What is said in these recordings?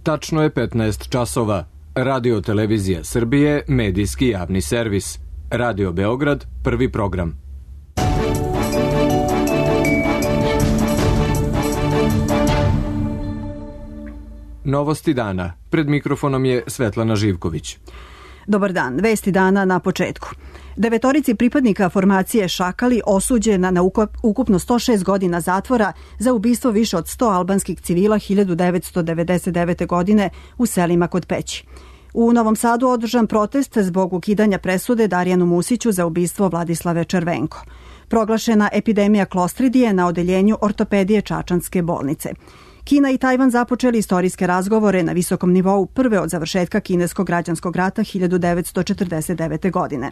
Tačno je 15 časova. Radio Televizija Srbije, medijski javni servis. Radio Beograd, prvi program. Novosti dana. Pred mikrofonom je Svetlana Živković. Dobar dan, vesti dana na početku. 9 pripadnika formacije Šakali osuđena na ukupno 106 godina zatvora za ubistvo više od 100 albanskih civila 1999. godine u selima kod Peći. U Novom Sadu održan protest zbog ukidanja presude Darijanu Musiću za ubistvo Vladislave Červenko. Proglašena epidemija klostridije na odeljenju ortopedije Čačanske bolnice. Kina i Tajvan započeli istorijske razgovore na visokom nivou prve od završetka kineskog građanskog rata 1949. godine.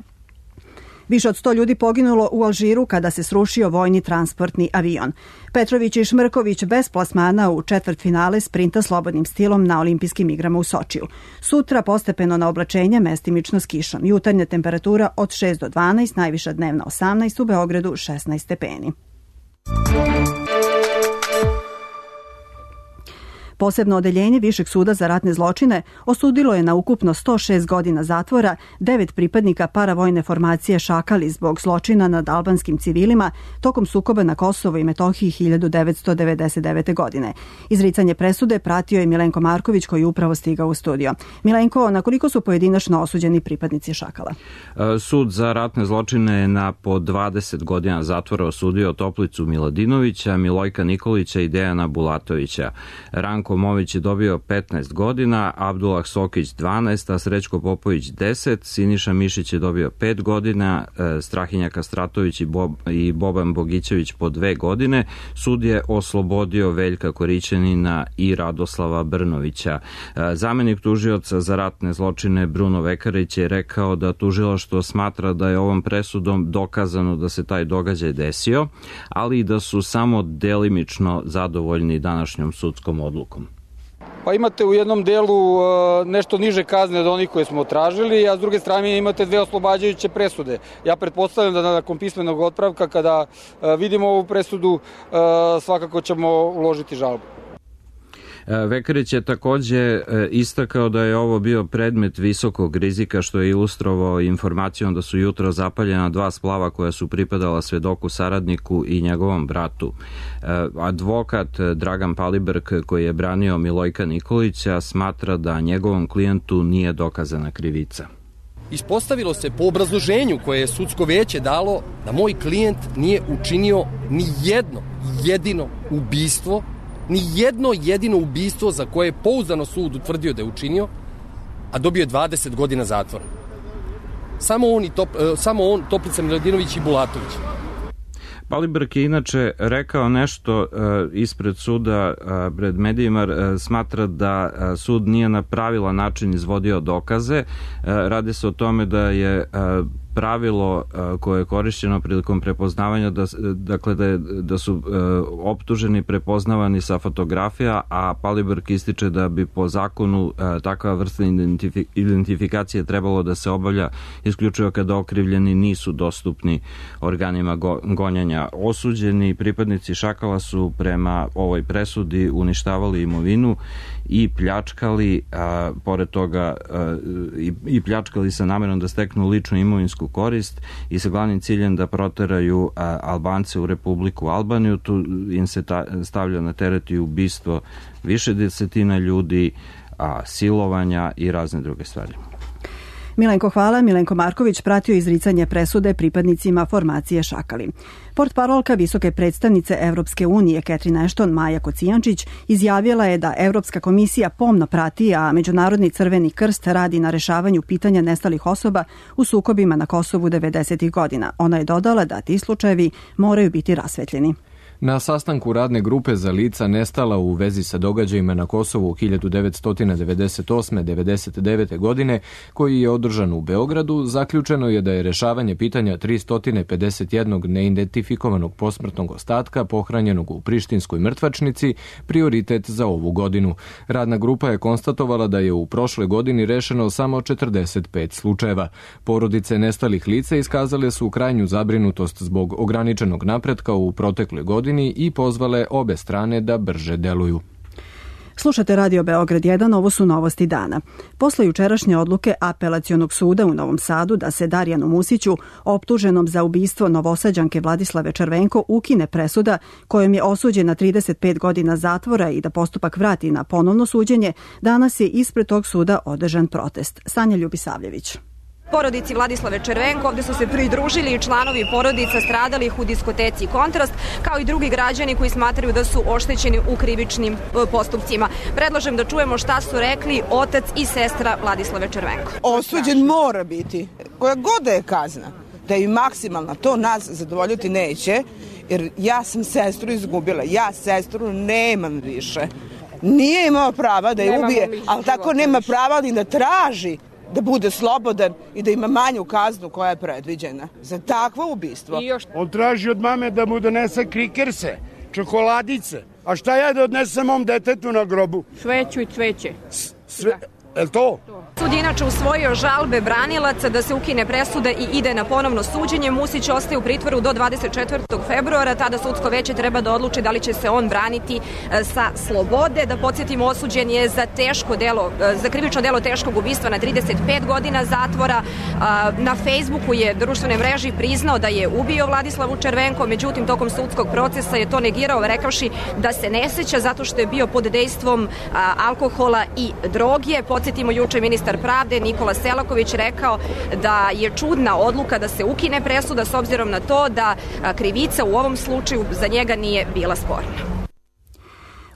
Više od 100 ljudi poginulo u Alžiru kada se srušio vojni transportni avion. Petrović i Šmrković bez plasmana u četvrtfinale sprinta slobodnim stilom na olimpijskim igrama u Sočiju. Sutra postepeno na oblačenje, mestimično s kišom. Jutarnja temperatura od 6 do 12, najviša dnevna 18, u Beogradu 16 stepeni. Posebno odeljenje Višeg suda za ratne zločine osudilo je na ukupno 106 godina zatvora 9 pripadnika paravojne formacije Šakali zbog zločina nad albanskim civilima tokom sukoba na Kosovo i Metohiji 1999. godine. Izricanje presude pratio je Milenko Marković koji je upravo stigao u studio. Milenko, na koliko su pojedinačno osuđeni pripadnici Šakala? Sud za ratne zločine je na po 20 godina zatvora osudio Toplicu Miladinovića, Milojka Nikolića i Dejana Bulatovića. Ranko Mović je dobio 15 godina, Abdullah Sokić 12, a Srećko Popović 10, Siniša Mišić je dobio 5 godina, Strahinja Kastratović i Boban Bogićević po 2 godine. Sud je oslobodio Veljka Korićanina i Radoslava Brnovića. Zamenik tužioca za ratne zločine Bruno Vekarić je rekao da tužilaštvo smatra da je ovom presudom dokazano da se taj događaj desio, ali i da su samo delimično zadovoljni današnjom sudskom odlukom. Pa imate u jednom delu nešto niže kazne od onih koje smo tražili, a s druge strane imate 2 oslobađajuće presude. Ja pretpostavljam da nakon pismenog otpravka, kada vidimo ovu presudu, svakako ćemo uložiti žalbu. Vekarić je takođe istakao da je ovo bio predmet visokog rizika, što je ilustrovao informacijom da su jutro zapaljena 2 splava koja su pripadala svedoku saradniku i njegovom bratu. Advokat Dragan Paliberg, koji je branio Milojka Nikolića, smatra da njegovom klijentu nije dokazana krivica. Ispostavilo se po obrazloženju koje je sudsko veće dalo da moj klijent nije učinio ni jedno jedino ubistvo, ni jedno jedino ubistvo za koje je pouzdano sud utvrdio da je učinio, a dobio je 20 godina zatvora. Samo on, Toplica Miladinović i Bulatović. Paliberg je inače rekao nešto ispred suda pred medijima, smatra da sud nije na pravilan način izvodio dokaze. Radi se o tome da je pravilo koje je korišćeno prilikom prepoznavanja, da su optuženi prepoznavani sa fotografija, a Paliberg ističe da bi po zakonu takva vrsta identifikacije trebalo da se obavlja isključivo kada okrivljeni nisu dostupni organima gonjenja. Osuđeni pripadnici Šakala su prema ovoj presudi uništavali imovinu i pljačkali, pored toga i pljačkali sa namerom da steknu ličnu imovinsku korist i sa glavnim ciljem da proteraju Albance u Republiku Albaniju. Tu im se stavlja na teret i ubistvo više desetina ljudi, silovanja i razne druge stvari. Milenko, hvala. Milenko Marković pratio izricanje presude pripadnicima formacije Šakali. Portparolka visoke predstavnice Evropske unije Catherine Ashton Maja Kocijančić izjavila je da Evropska komisija pomno prati, a Međunarodni crveni krst radi na rešavanju pitanja nestalih osoba u sukobima na Kosovu 90. godina. Ona je dodala da ti slučajevi moraju biti rasvetljeni. Na sastanku radne grupe za lica nestala u vezi sa događajima na Kosovu 1998-99. godine, koji je održan u Beogradu, zaključeno je da je rešavanje pitanja 351 neidentifikovanog posmrtnog ostatka pohranjenog u Prištinskoj mrtvačnici prioritet za ovu godinu. Radna grupa je konstatovala da je u prošle godini rešeno samo 45 slučajeva. Porodice nestalih lica iskazale su krajnju zabrinutost zbog ograničenog napretka u protekloj godini i pozvale obe strane da brže deluju. Slušate Radio Beograd 1, ovo su novosti dana. Posle jučerašnje odluke Apelacionog suda u Novom Sadu da se Darijanu Musiću, optuženom za ubistvo Novosađanke Vladislave Červenko, ukine presuda kojom je osuđen na 35 godina zatvora i da postupak vrati na ponovno suđenje, danas je ispred tog suda održan protest. Sanja Ljubisavljević. Porodici Vladislave Červenko ovde su se pridružili i članovi porodica stradalih u diskoteci Kontrast, kao i drugi građani koji smatraju da su oštećeni u krivičnim postupcima. Predlažem da čujemo šta su rekli otac i sestra Vladislave Červenko. Osuđen mora biti, koja god da je kazna, da je maksimalna, to nas zadovoljiti neće, jer ja sam sestru izgubila, ja sestru nemam više. Nije imao prava da je ubije, ali tako nema prava ni da traži da bude slobodan i da ima manju kaznu koja je predviđena za takvo ubistvo. On traži od mame da mu donese krikerse, čokoladice. A šta ja da odnesem mom detetu na grobu? Sveću i cveće. Je to? Sud je inače usvojio žalbe branilaca da se ukine presuda i ide na ponovno suđenje. Musić ostaje u pritvoru do 24. februara. Tada sudsko veće treba da odluči da li će se on braniti sa slobode. Da podsjetimo, osuđen je za krivično delo teškog ubistva na 35 godina zatvora. Na Facebooku je društvenoj mreži priznao da je ubio Vladislavu Červenko, međutim tokom sudskog procesa je to negirao rekavši da se ne seća zato što je bio pod dejstvom alkohola i droge. Podsjetimo, juče ministar pravde Nikola Selaković rekao da je čudna odluka da se ukine presuda s obzirom na to da krivica u ovom slučaju za njega nije bila sporna.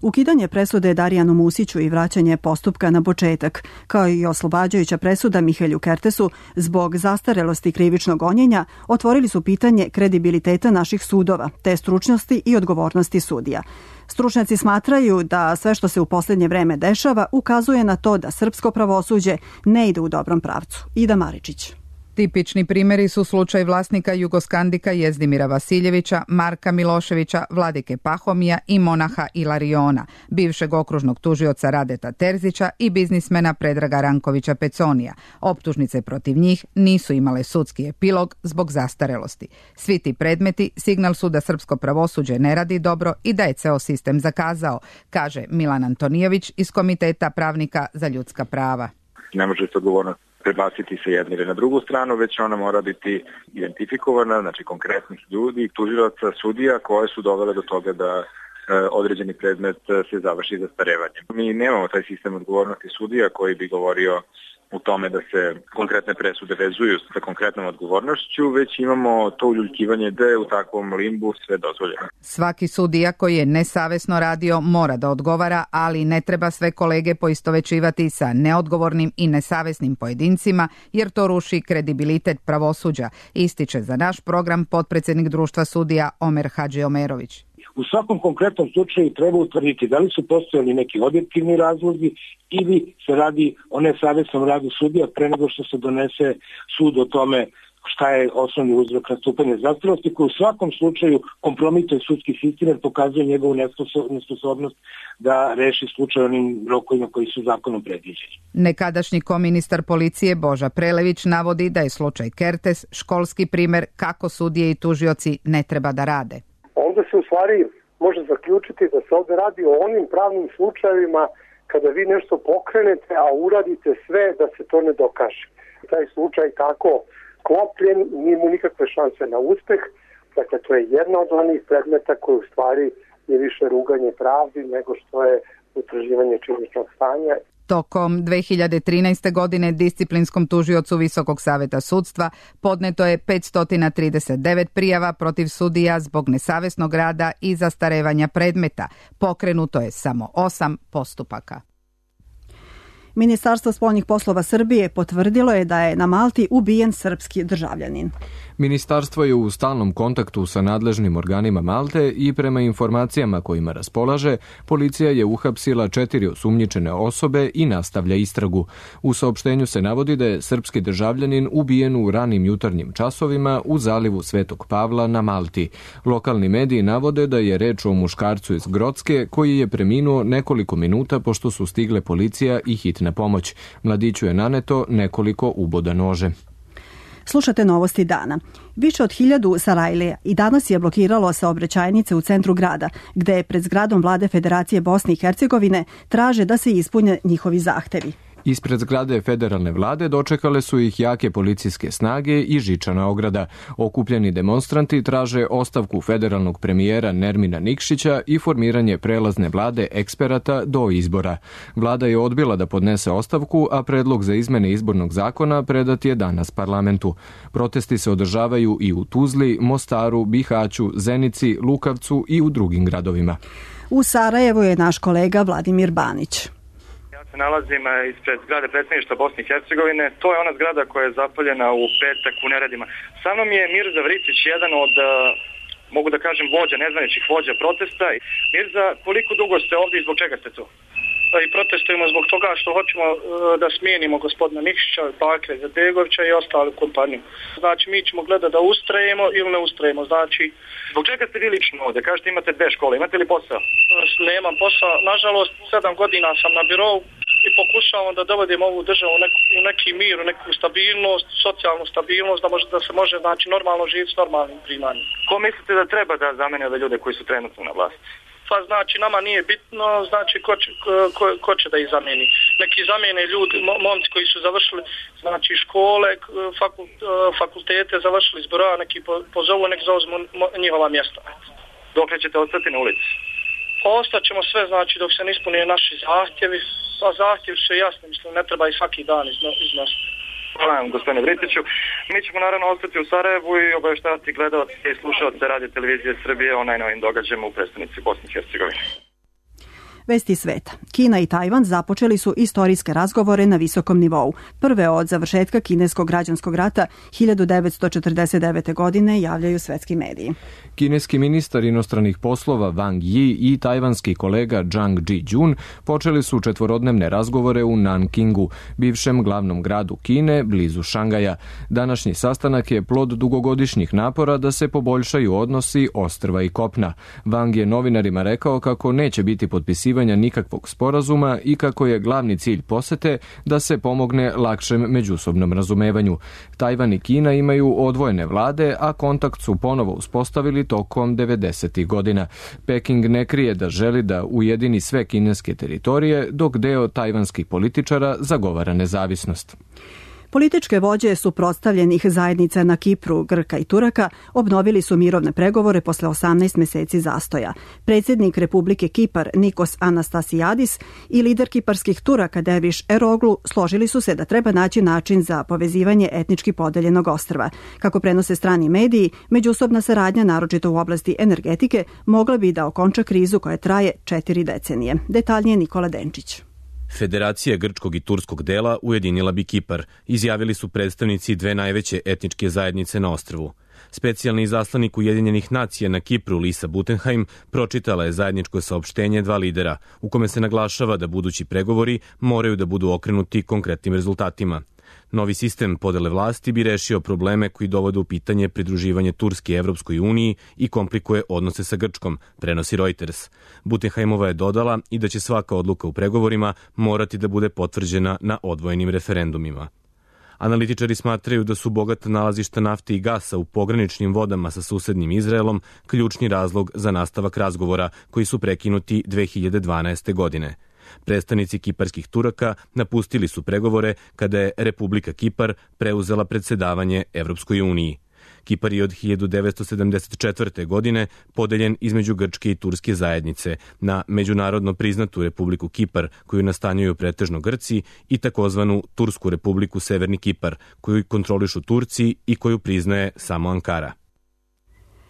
Ukidanje presude Darijanu Musiću i vraćanje postupka na početak, kao i oslobađajuća presuda Mihelju Kertesu zbog zastarelosti krivičnog gonjenja, otvorili su pitanje kredibiliteta naših sudova, te stručnosti i odgovornosti sudija. Stručnjaci smatraju da sve što se u posljednje vreme dešava ukazuje na to da srpsko pravosuđe ne ide u dobrom pravcu. Ida Maričić. Tipični primjeri su slučaj vlasnika Jugoskandika Jezdimira Vasiljevića, Marka Miloševića, Vladike Pahomija i monaha Ilariona, bivšeg okružnog tužioca Radeta Terzića i biznismena Predraga Rankovića Peconija. Optužnice protiv njih nisu imale sudski epilog zbog zastarelosti. Svi ti predmeti signal su da srpsko pravosuđe ne radi dobro i da je ceo sistem zakazao, kaže Milan Antonijević iz Komiteta pravnika za ljudska prava. Ne može se odgovornost prebaciti se jedne ili na drugu stranu, već ona mora biti identifikovana, znači konkretnih ljudi, tužilaca, sudija koje su dovele do toga da određeni predmet se završi zastarevanjem. Mi nemamo taj sistem odgovornosti sudija koji bi govorio u tome da se konkretne presude vezuju sa konkretnom odgovornošću, već imamo to uljuljkivanje da je u takvom limbu sve dozvoljeno. Svaki sudija koji je nesavesno radio mora da odgovara, ali ne treba sve kolege poistovećivati sa neodgovornim i nesavesnim pojedincima, jer to ruši kredibilitet pravosuđa, ističe za naš program potpredsjednik Društva sudija Omer Hadžiomerović. U svakom konkretnom slučaju treba utvrditi da li su postojali neki objektivni razlozi ili se radi o nesavesnom radu sudija pre nego što se donese sud o tome šta je osnovni uzrok nastupanja zastarelosti, koji u svakom slučaju kompromituje sudski sistem jer pokazuje njegovu nesposobnost da reši slučaj onim rokovima koji su zakonom predviđeni. Nekadašnji koministar policije Boža Prelević navodi da je slučaj Kertes školski primer kako sudije i tužioci ne treba da rade. Onda se u stvari može zaključiti da se ovdje radi o onim pravnim slučajevima kada vi nešto pokrenete, a uradite sve da se to ne dokaže. Taj slučaj tako klopljen, nije mu nikakve šanse na uspeh. Dakle, to je jedna od onih predmeta koji u stvari je više ruganje pravdi nego što je utvrđivanje činjeničnog stanja. Tokom 2013. godine disciplinskom tužiocu Visokog saveta sudstva podneto je 539 prijava protiv sudija zbog nesavesnog rada i zastarevanja predmeta. Pokrenuto je samo 8 postupaka. Ministarstvo spoljnih poslova Srbije potvrdilo je da je na Malti ubijen srpski državljanin. Ministarstvo je u stalnom kontaktu sa nadležnim organima Malte i prema informacijama kojima raspolaže, policija je uhapsila 4 osumnjičene osobe i nastavlja istragu. U saopštenju se navodi da je srpski državljanin ubijen u ranim jutarnjim časovima u zalivu Svetog Pavla na Malti. Lokalni mediji navode da je reč o muškarcu iz Grocke koji je preminuo nekoliko minuta pošto su stigle policija i hitna pomoć. Mladiću je naneto nekoliko uboda nože. Slušate novosti dana. Više od 1000 Sarajlija i danas je blokiralo saobraćajnice u centru grada, gde pred zgradom vlade Federacije Bosne i Hercegovine traže da se ispune njihovi zahtevi. Ispred zgrade federalne vlade dočekale su ih jake policijske snage i žičana ograda. Okupljeni demonstranti traže ostavku federalnog premijera Nermina Nikšića i formiranje prelazne vlade eksperata do izbora. Vlada je odbila da podnese ostavku, a predlog za izmene izbornog zakona predat je danas parlamentu. Protesti se održavaju i u Tuzli, Mostaru, Bihaću, Zenici, Lukavcu i u drugim gradovima. U Sarajevu je naš kolega Vladimir Banić. Se nalazim ispred zgrade predsjedništva Bosne i Hercegovine. To je ona zgrada koja je zapaljena u petak u neredima. Sa mnom je Mirza Vričić, jedan od, mogu da kažem, vođa, nezvaničnih vođa protesta. Mirza, koliko dugo ste ovdje i zbog čega ste tu? I protestujemo zbog toga što hoćemo da smijenimo gospodina Nikšića, Bakira Izetbegovića i ostalu kompaniju. Znači, mi ćemo gledati da ustrajemo ili ne ustrajemo. Znači, zbog čega ste vi lično ovdje? Kažete imate 2 škole, imate li posao? Nemam posao. Nažalost, 7 godina sam na birovu i pokušavam da dovodim ovu državu u neki mir, u neku stabilnost, socijalnu stabilnost, da se može znači, normalno živjeti s normalnim primanjem. Ko mislite da treba da zamene ove ljude koji su trenutno na vlasti? Pa znači nama nije bitno, znači ko će da ih zameni. Neki zamene ljudi, momci koji su završili znači škole, fakultete, završili zbora, neki pozovu, nek zauzmu njihova mjesta. Dokle ćete ostati na ulici? Ostaćemo sve, znači dok se ne ispune naši zahtjevi, a zahtjevi su jasni, mislim, ne treba i svaki dan iznositi. Hvala vam, gospodine Vritiću. Mi ćemo naravno ostati u Sarajevu i obaveštavati gledalce i slušalce Radio Televizije Srbije o najnovim događajima u prestonici Bosne i Hercegovine. Vesti sveta. Kina i Tajvan započeli su istorijske razgovore na visokom nivou. Prve od završetka kineskog građanskog rata 1949. godine javljaju svetski mediji. Kineski ministar inostranih poslova Wang Yi i tajvanski kolega Zhang Jijun počeli su 4-dnevne razgovore u Nankingu, bivšem glavnom gradu Kine, blizu Šangaja. Današnji sastanak je plod dugogodišnjih napora da se poboljšaju odnosi ostrva i kopna. Wang je novinarima rekao kako neće biti potpisivanja nikakvog sporazuma i kako je glavni cilj posete da se pomogne lakšem međusobnom razumevanju. Tajvan i Kina imaju odvojene vlade, a kontakt su ponovo uspostavili tokom 90. godina. Peking ne krije da želi da ujedini sve kineske teritorije, dok deo tajvanskih političara zagovara nezavisnost. Političke vođe suprotstavljenih zajednica na Kipru, Grka i Turaka obnovili su mirovne pregovore posle 18 meseci zastoja. Predsjednik Republike Kipar Nikos Anastasiadis i lider kiparskih Turaka Derviš Eroglu složili su se da treba naći način za povezivanje etnički podeljenog ostrva. Kako prenose strani mediji, međusobna saradnja, naročito u oblasti energetike, mogla bi da okonča krizu koja traje 4 decenije. Detaljnije Nikola Denčić. Federacija grčkog i turskog dela ujedinila bi Kipar, izjavili su predstavnici 2 najveće etničke zajednice na ostrvu. Specijalni izaslanik Ujedinjenih nacija na Kipru Lisa Butenheim pročitala je zajedničko saopštenje 2 lidera, u kome se naglašava da budući pregovori moraju da budu okrenuti konkretnim rezultatima. Novi sistem podele vlasti bi rešio probleme koji dovode u pitanje pridruživanje Turske Evropskoj uniji i komplikuje odnose sa Grčkom, prenosi Reuters. Butenheimova je dodala i da će svaka odluka u pregovorima morati da bude potvrđena na odvojenim referendumima. Analitičari smatraju da su bogata nalazišta nafte i gasa u pograničnim vodama sa susednim Izraelom ključni razlog za nastavak razgovora koji su prekinuti 2012. godine. Predstavnici kiparskih Turaka napustili su pregovore kada je Republika Kipar preuzela predsedavanje Evropskoj uniji. Kipar je od 1974. godine podeljen između Grčke i Turske zajednice na međunarodno priznatu Republiku Kipar, koju nastanjuju pretežno Grci, i takozvanu Tursku Republiku Severni Kipar, koju kontrolišu Turci i koju priznaje samo Ankara.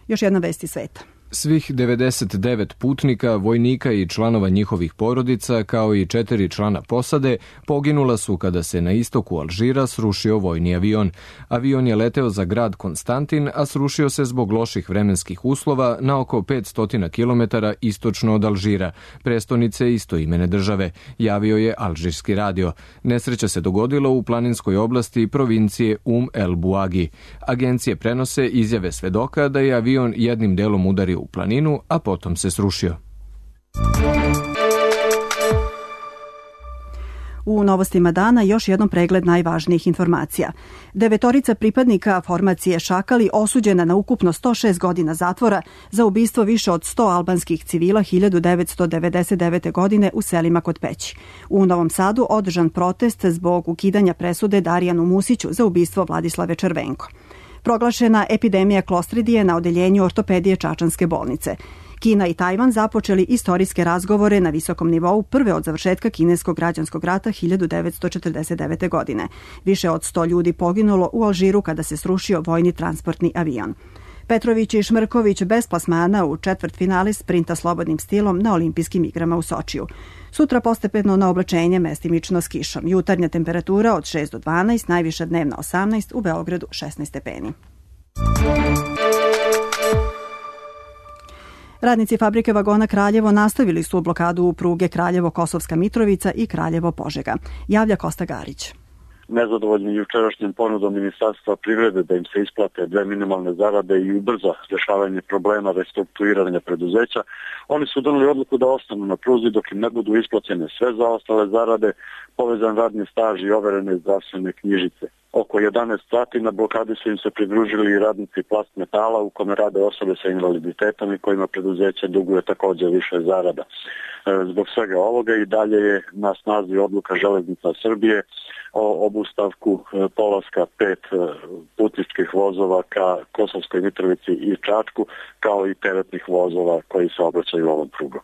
Još jedna vest iz sveta. Svih 99 putnika, vojnika i članova njihovih porodica, kao i 4 člana posade, poginula su kada se na istoku Alžira srušio vojni avion. Avion je leteo za grad Konstantin, a srušio se zbog loših vremenskih uslova na oko 500 km istočno od Alžira, prestonice istoimene države, javio je alžirski radio. Nesreća se dogodila u planinskoj oblasti provincije El Buagi. Agencije prenose izjave svedoka da je avion jednim delom udario u planinu, a potom se srušio. U novostima dana još jednom pregled najvažnijih informacija. 9 pripadnika formacije Šakali osuđena na ukupno 106 godina zatvora za ubistvo više od 100 albanskih civila 1999. godine u selima kod Peći. U Novom Sadu održan protest zbog ukidanja presude Darijanu Musiću za ubistvo Vladislave Červenko. Proglašena epidemija klostridije na odeljenju ortopedije Čačanske bolnice. Kina i Tajvan započeli istorijske razgovore na visokom nivou prve od završetka kineskog građanskog rata 1949. godine. Više od 100 ljudi poginulo u Alžiru kada se srušio vojni transportni avion. Petrović i Šmrković bez plasmana u četvrtfinale sprinta slobodnim stilom na olimpijskim igrama u Sočiju. Sutra postepeno na oblačenje mestimično s kišom. Jutarnja temperatura od 6 do 12, najviša dnevna 18, u Beogradu 16 stepeni. Radnici fabrike vagona Kraljevo nastavili su blokadu pruge Kraljevo-Kosovska Mitrovica i Kraljevo-Požega. Javlja Kosta Garić. Nezadovoljni jučerašnjim ponudom Ministarstva privrede da im se isplate 2 minimalne zarade i ubrza rješavanje problema restrukturiranja preduzeća, oni su doneli odluku da ostanu na pruzi dok im ne budu isplaćene sve zaostale zarade, povezan radni staž i overene zdravstvene knjižice. Oko 11 sati na blokadi su im se pridružili i radnici Plast Metala u kome rade osobe sa invaliditetom i kojima preduzeće duguje također više zarada. Zbog svega ovoga i dalje je na snazi odluka Železnica Srbije o obustavku polaska 5 putničkih vozova ka Kosovskoj Mitrovici i Čačku, kao i teretnih vozova koji se obraćaju ovom prugom.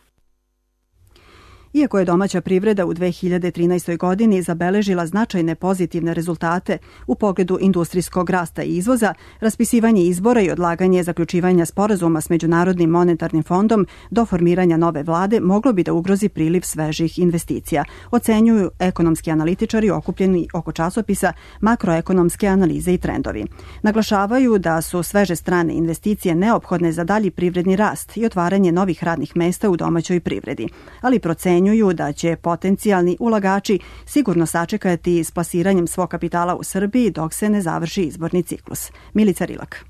Iako je domaća privreda u 2013. godini zabeležila značajne pozitivne rezultate u pogledu industrijskog rasta i izvoza, raspisivanje izbora i odlaganje zaključivanja sporazuma s Međunarodnim monetarnim fondom do formiranja nove vlade moglo bi da ugrozi priliv svežih investicija, ocenjuju ekonomski analitičari okupljeni oko časopisa Makroekonomske analize i trendovi. Naglašavaju da su sveže strane investicije neophodne za dalji privredni rast i otvaranje novih radnih mesta u domaćoj privredi, ali procenjuju da će potencijalni ulagači sigurno sačekati s plasiranjem svog kapitala u Srbiji dok se ne završi izborni ciklus. Milica Rilak.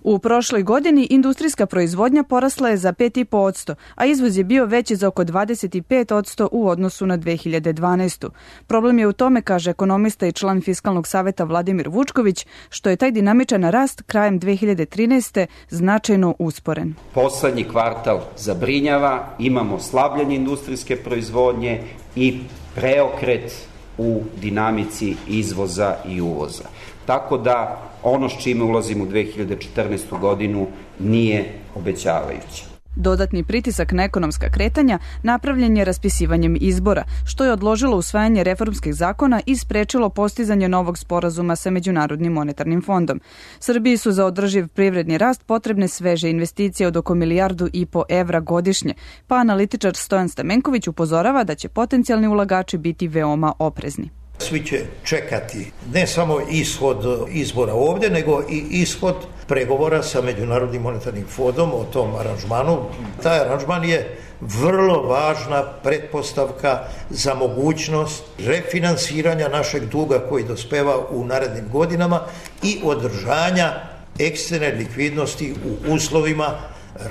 U prošloj godini industrijska proizvodnja porasla je za 5,5%, a izvoz je bio veći za oko 25% u odnosu na 2012. Problem je u tome, kaže ekonomista i član Fiskalnog saveta Vladimir Vučković, što je taj dinamičan rast krajem 2013. značajno usporen. Poslednji kvartal zabrinjava, imamo slabljenje industrijske proizvodnje i preokret u dinamici izvoza i uvoza. Tako da ono s čime ulazimo u 2014. godinu nije obećavajuće. Dodatni pritisak na ekonomska kretanja napravljen je raspisivanjem izbora, što je odložilo usvajanje reformskih zakona i sprečilo postizanje novog sporazuma sa Međunarodnim monetarnim fondom. Srbiji su za održiv privredni rast potrebne sveže investicije od oko 1,5 milijardu evra godišnje, pa analitičar Stojan Stamenković upozorava da će potencijalni ulagači biti veoma oprezni. Svi će čekati ne samo ishod izbora ovdje, nego i ishod pregovora sa Međunarodnim monetarnim fondom o tom aranžmanu. Taj aranžman je vrlo važna pretpostavka za mogućnost refinansiranja našeg duga koji dospeva u narednim godinama i održanja eksterne likvidnosti u uslovima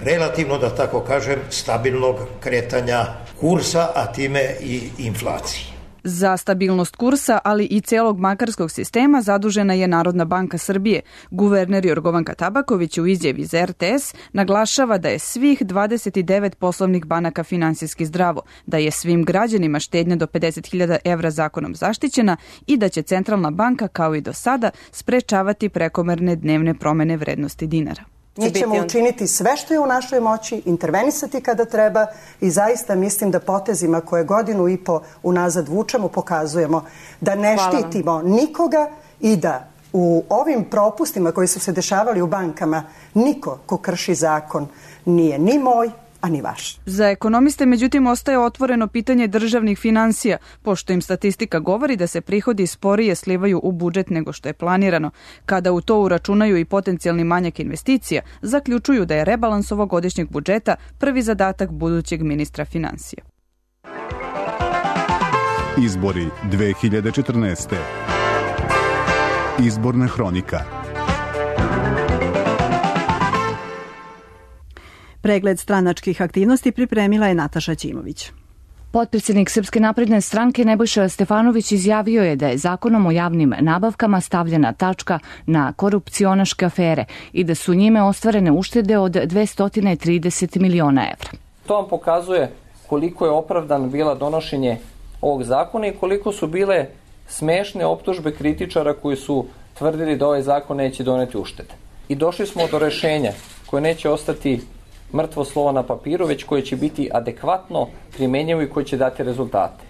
relativno, da tako kažem, stabilnog kretanja kursa, a time i inflacije. Za stabilnost kursa, ali i celog bankarskog sistema zadužena je Narodna banka Srbije. Guverner Jorgovanka Tabaković u izjavi za RTS naglašava da je svih 29 poslovnih banaka finansijski zdravo, da je svim građanima štednja do 50.000 evra zakonom zaštićena i da će centralna banka, kao i do sada, sprečavati prekomerne dnevne promene vrednosti dinara. Mi ćemo učiniti sve što je u našoj moći, intervenisati kada treba i zaista mislim da potezima koje 1,5 godinu unazad vučemo pokazujemo da ne štitimo nikoga i da u ovim propustima koji su se dešavali u bankama niko ko krši zakon nije ni moj, a ni vaš. Za ekonomiste, međutim, ostaje otvoreno pitanje državnih finansija, pošto im statistika govori da se prihodi sporije slivaju u budžet nego što je planirano. Kada u to uračunaju i potencijalni manjak investicija, zaključuju da je rebalans ovogodišnjeg budžeta prvi zadatak budućeg ministra finansija. Izbori 2014. Izborna hronika. Pregled stranačkih aktivnosti pripremila je Nataša Ćimović. Potpredsjednik Srpske napredne stranke Nebojša Stefanović izjavio je da je zakonom o javnim nabavkama stavljena tačka na korupcionaške afere i da su njime ostvarene uštede od 230 miliona evra. To vam pokazuje koliko je opravdano bila donošenje ovog zakona i koliko su bile smešne optužbe kritičara koji su tvrdili da ovaj zakon neće doneti uštede. I došli smo do rešenja koje neće ostati mrtvo slovo na papiru, već koje će biti adekvatno primenjivo i koje će dati rezultate.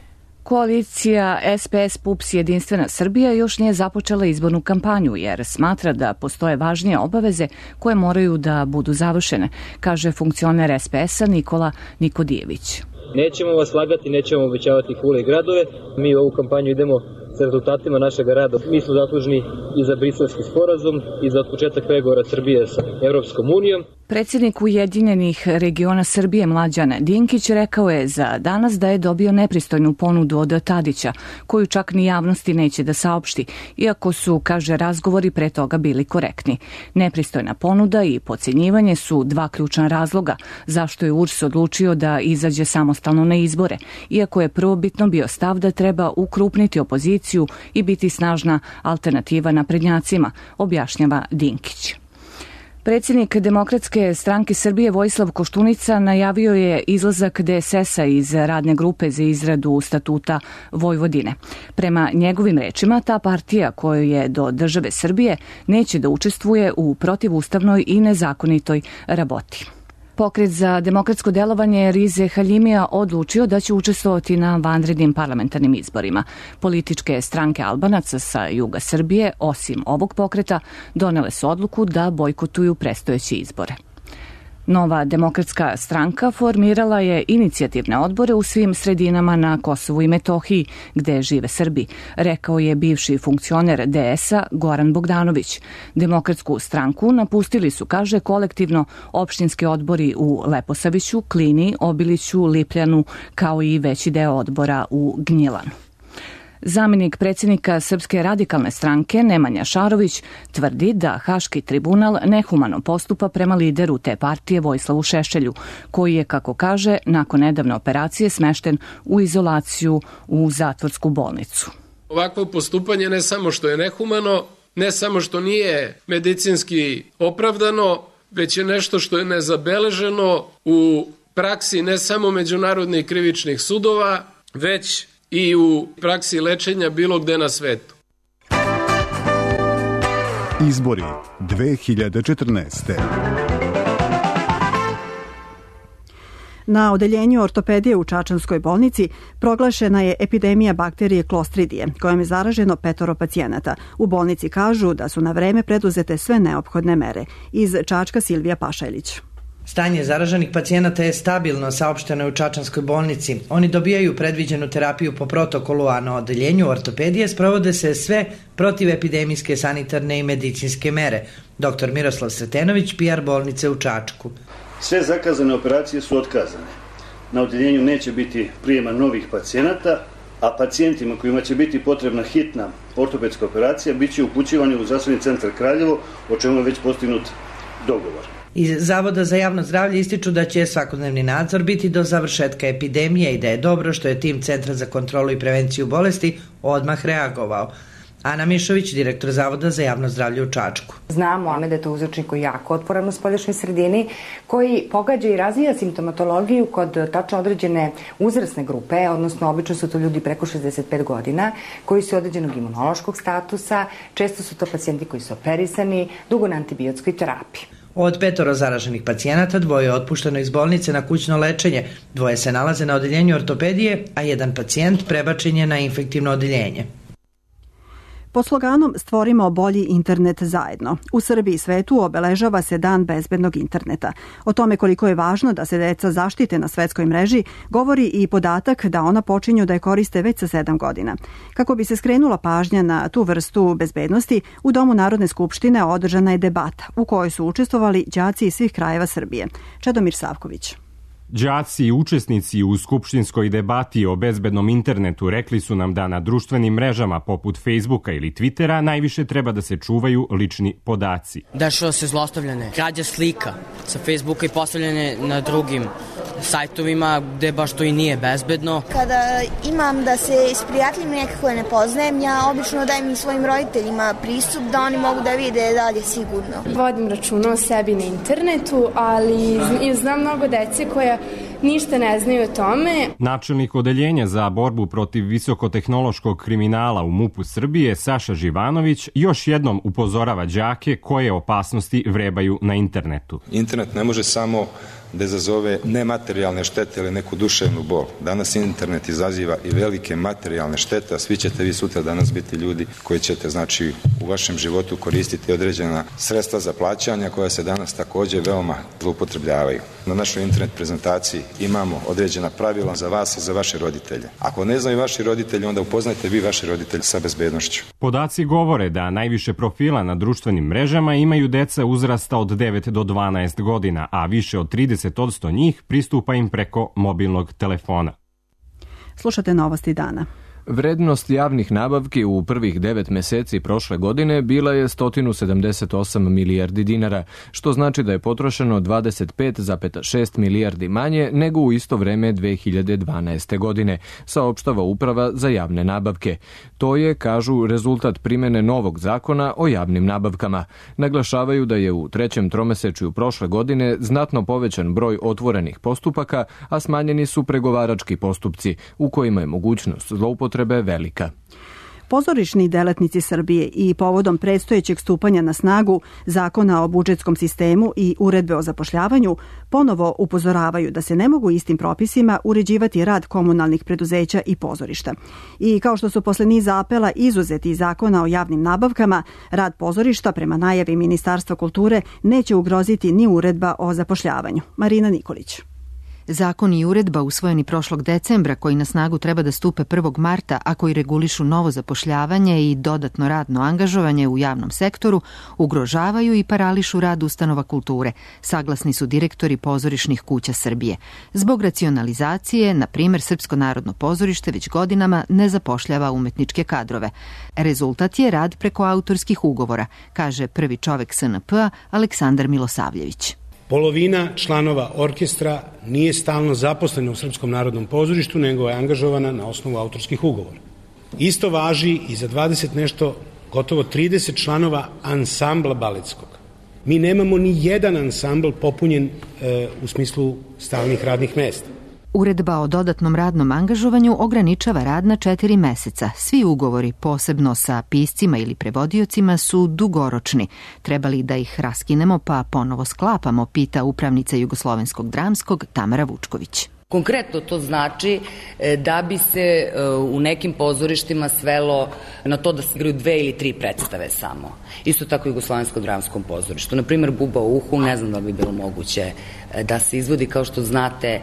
Koalicija SPS PUPS Jedinstvena Srbija još nije započela izbornu kampanju jer smatra da postoje važnije obaveze koje moraju da budu završene, kaže funkcioner SPS-a Nikola Nikodijević. Nećemo vas lagati, nećemo obećavati kule i gradove. Mi u ovu kampanju idemo sa rezultatima našeg rada. Mi smo zaslužni i za briselski sporazum i za početak pregovora Srbije sa Evropskom unijom. Predsjednik Ujedinjenih regiona Srbije Mlađan Dinkić rekao je za danas da je dobio nepristojnu ponudu od Tadića, koju čak ni javnosti neće da saopšti, iako su, kaže, razgovori pre toga bili korektni. Nepristojna ponuda i potcenjivanje su dva ključna razloga zašto je URS odlučio da izađe samostalno na izbore, iako je prvobitno bio stav da treba ukrupniti opoziciju i biti snažna alternativa naprednjacima, objašnjava Dinkić. Predsjednik Demokratske stranke Srbije Vojislav Koštunica najavio je izlazak DSS-a iz radne grupe za izradu statuta Vojvodine. Prema njegovim rečima, ta partija koju je do države Srbije neće da učestvuje u protivustavnoj i nezakonitoj raboti. Pokret za demokratsko delovanje Rize Haljimija odlučio da će učestvovati na vanrednim parlamentarnim izborima. Političke stranke Albanaca sa juga Srbije, osim ovog pokreta, donele su odluku da bojkotuju predstojeće izbore. Nova demokratska stranka formirala je inicijativne odbore u svim sredinama na Kosovu i Metohiji, gde žive Srbi, rekao je bivši funkcioner DS-a Goran Bogdanović. Demokratsku stranku napustili su, kaže, kolektivno opštinski odbori u Leposaviću, Klini, Obiliću, Lipljanu, kao i veći deo odbora u Gnjilanu. Zamenik predsjednika Srpske radikalne stranke Nemanja Šarović tvrdi da Haški tribunal nehumano postupa prema lideru te partije Vojislavu Šešelju, koji je, kako kaže, nakon nedavne operacije smešten u izolaciju u zatvorsku bolnicu. Ovakvo postupanje ne samo što je nehumano, ne samo što nije medicinski opravdano, već je nešto što je nezabeleženo u praksi ne samo međunarodnih krivičnih sudova, već i u praksi lečenja bilo gde na svetu. Izbori 2014. Na odeljenju ortopedije u Čačanskoj bolnici proglašena je epidemija bakterije Klostridije, kojom je zaraženo 5 pacijenata. U bolnici kažu da su na vreme preduzete sve neophodne mere. Iz Čačka Silvija Pašajlić. Stanje zaraženih pacijenata je stabilno, saopšteno je u Čačanskoj bolnici. Oni dobijaju predviđenu terapiju po protokolu, a na odeljenju ortopedije sprovode se sve protivepidemijske sanitarne i medicinske mere. Dr. Miroslav Sretenović, PR bolnice u Čačku. Sve zakazane operacije su otkazane. Na odeljenju neće biti prijema novih pacijenata, a pacijentima kojima će biti potrebna hitna ortopedska operacija bit će upućivani u zdravstveni centar Kraljevo, o čemu je već postignut dogovor. Iz Zavoda za javno zdravlje ističu da će svakodnevni nadzor biti do završetka epidemije i da je dobro što je tim Centra za kontrolu i prevenciju bolesti odmah reagovao. Ana Mišović, direktor Zavoda za javno zdravlje u Čačku. Znamo da je to uzročnik koji je jako otporan u spoljašnjoj sredini, koji pogađa i razvija simptomatologiju kod tačno određene uzrasne grupe, odnosno obično su to ljudi preko 65 godina, koji su određenog imunološkog statusa, često su to pacijenti koji su operisani, dugo na antibiotskoj terapiji. Od 5 zaraženih pacijenata 2 je otpušteno iz bolnice na kućno lečenje, 2 se nalaze na odeljenju ortopedije, a 1 pacijent prebačen je na infektivno odeljenje. Pod sloganom Stvorimo bolji internet zajedno, u Srbiji i svetu obeležava se Dan bezbednog interneta. O tome koliko je važno da se deca zaštite na svetskoj mreži govori i podatak da ona počinju da je koriste već sa 7 godina. Kako bi se skrenula pažnja na tu vrstu bezbednosti, u Domu Narodne skupštine održana je debata u kojoj su učestvovali đaci iz svih krajeva Srbije. Čedomir Savković. Đaci i učesnici u skupštinskoj debati o bezbednom internetu rekli su nam da na društvenim mrežama poput Facebooka ili Twittera najviše treba da se čuvaju lični podaci. Dešava se zlostavljanje, krađa slika sa Facebooka i postavljanje na drugim sajtovima gde baš to i nije bezbedno. Kada imam da se isprijateljim nekako ne poznajem, ja obično dajem svojim roditeljima pristup da oni mogu da vide da li je sigurno. Vodim računa o sebi na internetu, ali znam mnogo dece koja ništa ne znaju o tome. Načelnik odeljenja za borbu protiv visokotehnološkog kriminala u MUP-u Srbije, Saša Živanović, još jednom upozorava đake koje opasnosti vrebaju na internetu. Internet ne može samo da izazove nematerijalne štete ili neku duševnu bol. Danas internet izaziva i velike materijalne štete, a svi ćete vi sutra danas biti ljudi koji ćete, znači, u vašem životu koristiti određena sredstva za plaćanja koja se danas također veoma zloupotrebljavaju. Na našoj internet prezentaciji imamo određena pravila za vas i za vaše roditelje. Ako ne znaju vaši roditelji, onda upoznajte vi vaše roditelje sa bezbednošću. Podaci govore da najviše profila na društvenim mrežama imaju deca uzrasta od 9 do 12 godina, a više od 30% njih pristupa im preko mobilnog telefona. Slušate novosti dana. Vrednost javnih nabavki u prvih 9 meseci prošle godine bila je 178 milijardi dinara, što znači da je potrošeno 25,6 milijardi manje nego u isto vreme 2012. godine, saopštava Uprava za javne nabavke. To je, kažu, rezultat primene novog zakona o javnim nabavkama. Naglašavaju da je u trećem tromesečju prošle godine znatno povećan broj otvorenih postupaka, a smanjeni su pregovarački postupci, u kojima je mogućnost zloupotrebe velika. Pozorišni delatnici Srbije i povodom predstojećeg stupanja na snagu Zakona o budžetskom sistemu i Uredbe o zapošljavanju ponovo upozoravaju da se ne mogu istim propisima uređivati rad komunalnih preduzeća i pozorišta. I kao što su posle niza apela izuzeti iz Zakona o javnim nabavkama, rad pozorišta prema najavi Ministarstva kulture neće ugroziti ni Uredba o zapošljavanju. Marina Nikolić. Zakon i uredba usvojeni prošlog decembra, koji na snagu treba da stupe 1. marta, a koji regulišu novo zapošljavanje i dodatno radno angažovanje u javnom sektoru, ugrožavaju i parališu rad ustanova kulture, saglasni su direktori pozorišnih kuća Srbije. Zbog racionalizacije, na primjer, Srpsko narodno pozorište već godinama ne zapošljava umetničke kadrove. Rezultat je rad preko autorskih ugovora, kaže prvi čovek SNP-a Aleksandar Milosavljević. Polovina članova orkestra nije stalno zaposlena u Srpskom narodnom pozorištu, nego je angažovana na osnovu autorskih ugovora. Isto važi i za 20 nešto, gotovo 30 članova ansambla baletskog. Mi nemamo ni jedan ansambl popunjen u smislu stalnih radnih mesta. Uredba o dodatnom radnom angažovanju ograničava rad na 4 meseca. Svi ugovori, posebno sa piscima ili prevodiocima, su dugoročni. Treba li da ih raskinemo pa ponovo sklapamo, pita upravnica Jugoslovenskog dramskog Tamara Vučković. Konkretno to znači da bi se u nekim pozorištima svelo na to da se igraju 2 ili 3 predstave samo. Isto tako i u Jugoslovenskom dramskom pozorištu. Naprimer, Buba u uhu, ne znam da bi bilo moguće da se izvodi. Kao što znate,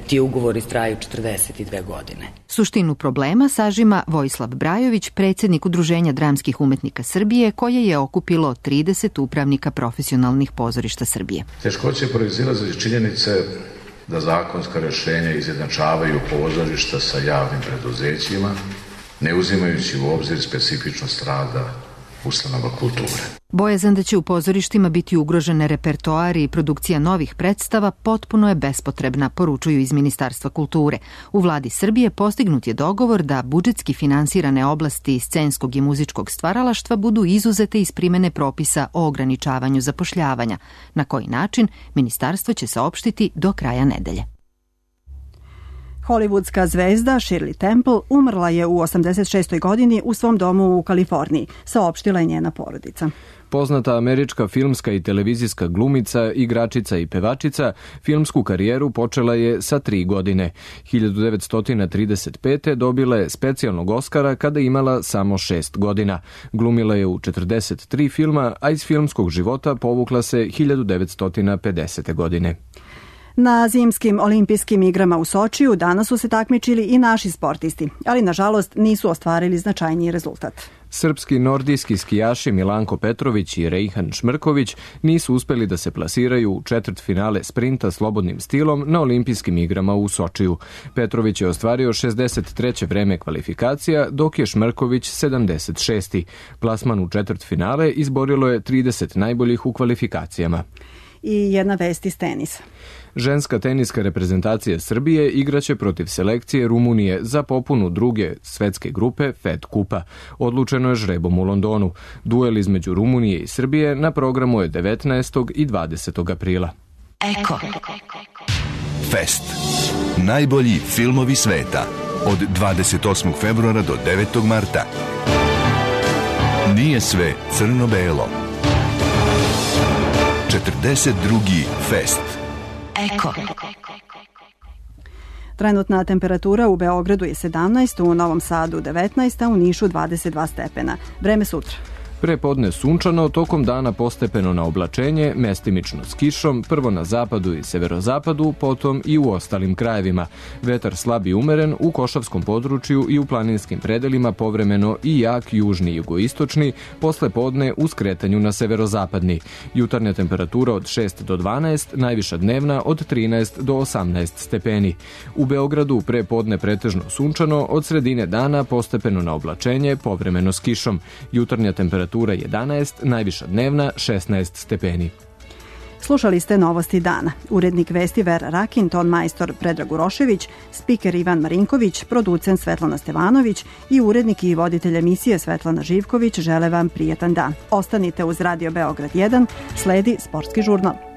ti ugovori traju 42 godine. Suštinu problema sažima Vojislav Brajović, predsjednik Udruženja dramskih umetnika Srbije, koje je okupilo 30 upravnika profesionalnih pozorišta Srbije. Teškoće proizilaze iz činjenice da zakonska rješenja izjednačavaju pozorišta sa javnim preduzećima, ne uzimajući u obzir specifičnost rada ustanova kulture. Bojazan da će u pozorištima biti ugrožene repertoari i produkcija novih predstava potpuno je bespotrebna, poručuju iz Ministarstva kulture. U vladi Srbije postignut je dogovor da budžetski finansirane oblasti scenskog i muzičkog stvaralaštva budu izuzete iz primene propisa o ograničavanju zapošljavanja. Na koji način, ministarstvo će saopštiti do kraja nedelje. Hollywoodska zvezda Shirley Temple umrla je u 86. godini u svom domu u Kaliforniji, saopštila je njena porodica. Poznata američka filmska i televizijska glumica, igračica i pevačica, filmsku karijeru počela je sa 3 godine. 1935. dobila je specijalnog Oskara kada imala samo 6 godina. Glumila je u 43 filma, a iz filmskog života povukla se 1950. godine. Na zimskim olimpijskim igrama u Sočiju danas su se takmičili i naši sportisti, ali nažalost nisu ostvarili značajniji rezultat. Srpski nordijski skijaši Milanko Petrović i Rejhan Šmrković nisu uspeli da se plasiraju u četvrtfinale sprinta slobodnim stilom na olimpijskim igrama u Sočiju. Petrović je ostvario 63. vreme kvalifikacija, dok je Šmrković 76. Plasman u četvrtfinale izborilo je 30 najboljih u kvalifikacijama. i jedna vest iz tenisa. Ženska teniska reprezentacija Srbije igraće protiv selekcije Rumunije za popunu druge svetske grupe Fed Kupa. Odlučeno je žrebom u Londonu. Duel između Rumunije i Srbije na programu je 19. i 20. aprila. Eko. Fest. Najbolji filmovi sveta. Od 28. februara do 9. marta. Nije sve crno-belo. 42. Fest. Eko. Trenutna temperatura u Beogradu je 17, u Novom Sadu 19, a u Nišu 22 stepena. Vreme sutra. Prepodne sunčano, tokom dana postepeno na oblačenje, mestimično s kišom, prvo na zapadu i severozapadu, potom i u ostalim krajevima. Vetar slab i umeren u Košavskom području i u planinskim predelima povremeno i jak južni i jugoistočni, posle podne u skretanju na severozapadni. Jutarnja temperatura od 6 do 12, najviša dnevna od 13 do 18 stepeni. U Beogradu prepodne pretežno sunčano, od sredine dana postepeno na oblačenje, povremeno s kišom. Jutarnja temperatura 11, najviša dnevna 16 stepeni. Slušali ste novosti dana. Urednik vesti Vera Rakin, ton majstor Predrag Urošević, spiker Ivan Marinković, producent Svetlana Stevanović i urednik i voditelj emisije Svetlana Živković žele vam prijetan dan. Ostanite uz Radio Beograd 1, sledi Sportski žurnal.